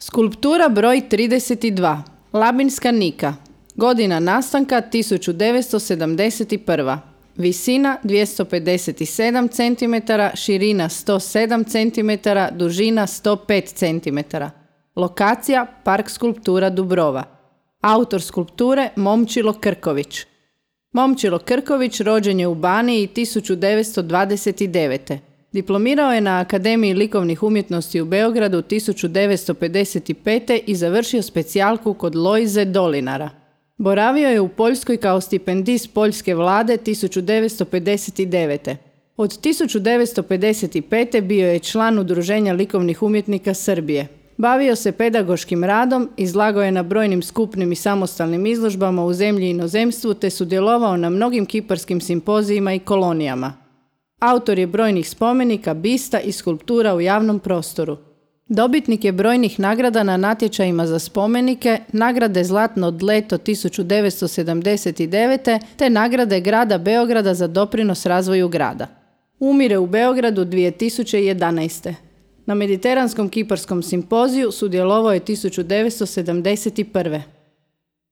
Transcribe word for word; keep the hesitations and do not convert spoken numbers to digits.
Skulptura broj trideset dva. Labinska Nika. Godina nastanka tisuću devetsto sedamdeset prva. Visina dvjesto pedeset sedam centimetara, širina sto sedam centimetara, dužina sto pet centimetara. Lokacija Park skulptura Dubrova. Autor skulpture Momčilo Krković. Momčilo Krković rođen je u Baniji tisuću devetsto dvadeset devete. Diplomirao je na Akademiji likovnih umjetnosti u Beogradu tisuću devetsto pedeset pete i završio specijalku kod Lojze Dolinara. Boravio je u Poljskoj kao stipendist Poljske vlade tisuću devetsto pedeset devete. Od tisuću devetsto pedeset pete bio je član Udruženja likovnih umjetnika Srbije. Bavio se pedagoškim radom, izlagao je na brojnim skupnim i samostalnim izložbama u zemlji i inozemstvu te sudjelovao na mnogim kiparskim simpozijima i kolonijama. Autor je brojnih spomenika, bista i skulptura u javnom prostoru. Dobitnik je brojnih nagrada na natječajima za spomenike, nagrade Zlatno dleto tisuću devetsto sedamdeset devete te nagrade grada Beograda za doprinos razvoju grada. Umire u Beogradu dvije tisuće jedanaeste. Na Mediteranskom kiparskom simpoziju sudjelovao je tisuću devetsto sedamdeset prve.